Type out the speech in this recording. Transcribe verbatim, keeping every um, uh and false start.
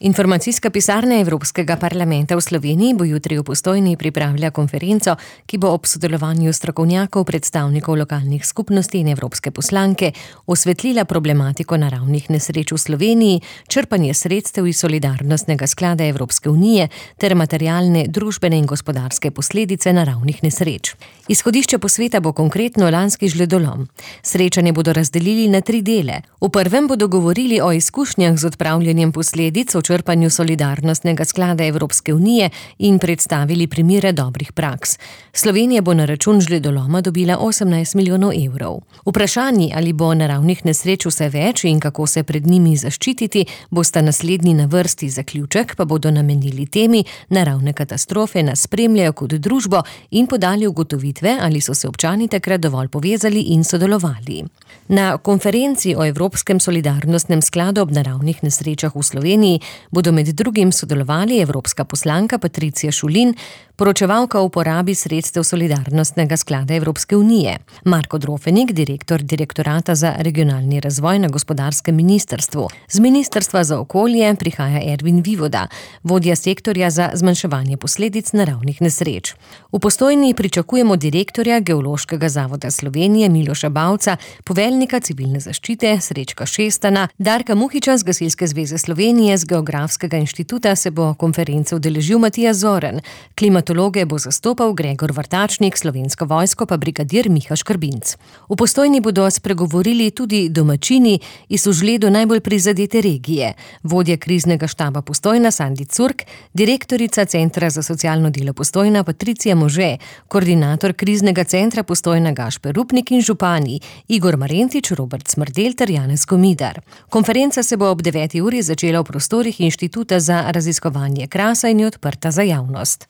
Informacijska pisarna Evropskega parlamenta v Sloveniji bo jutri v Postojni pripravila konferenco, ki bo ob sodelovanju strokovnjakov, predstavnikov lokalnih skupnosti in evropske poslanke osvetlila problematiko naravnih nesreč v Sloveniji, črpanje sredstev iz solidarnostnega sklada Evropske unije ter materialne, družbene in gospodarske posledice naravnih nesreč. Izhodišče posveta bo konkretno lanski žledolom. Srečanje bodo razdelili na tri dele. V prvem bodo govorili o izkušnjah z odpravljanjem posledic o črpanju solidarnostnega sklada Evropske unije in predstavili primere dobrih praks. Slovenija bo na račun žledoloma dobila osemnajst milijonov evrov. Vprašanji, ali bo naravnih nesreč vse več in kako se pred njimi zaščititi, bosta naslednji na vrsti. Zaključek pa bodo namenili temi naravne katastrofe nas spremljajo kot družbo in podali ugotovitve, ali so se občani takrat dovolj povezali in sodelovali. Na konferenci o Evropskem solidarnostnem skladu ob naravnih nesrečah v Sloveniji bodo med drugim sodelovali evropska poslanka Patricija Šulin, poročevalka o uporabi sredstev solidarnostnega sklada Evropske unije, Marko Drofenik, direktor Direktorata za regionalni razvoj na gospodarskem ministrstvu. Z Ministrstva za okolje prihaja Ervin Vivoda, vodja sektorja za zmanjševanje posledic naravnih nesreč. V Postojni pričakujemo direktorja Geološkega zavoda Slovenije Miloša Bavca, poveljnika civilne zaščite Srečka Šestana, Darka Muhiča z Gasilske zveze Slovenije, z Geografskega inštituta se bo konference udeležil Matija Zoren, klimatologe bo zastopal Gregor Vrtačnik, Slovensko vojsko pa brigadir Miha Škrbinc. V Postojni bodo spregovorili tudi domačini iz v žledu najbolj prizadete regije, vodja kriznega štaba Postojna Sandi Curk, direktorica Centra za socialno delo Postojna Patricija Može, koordinator kriznega centra Postojna Gašper Rupnik in župani Igor Marentič, Robert Smrdelj ter Janez Komidar. Konferenca se bo ob deveti uri začela v prostorih Inštituta za raziskovanje Krasa in je odprta za javnost.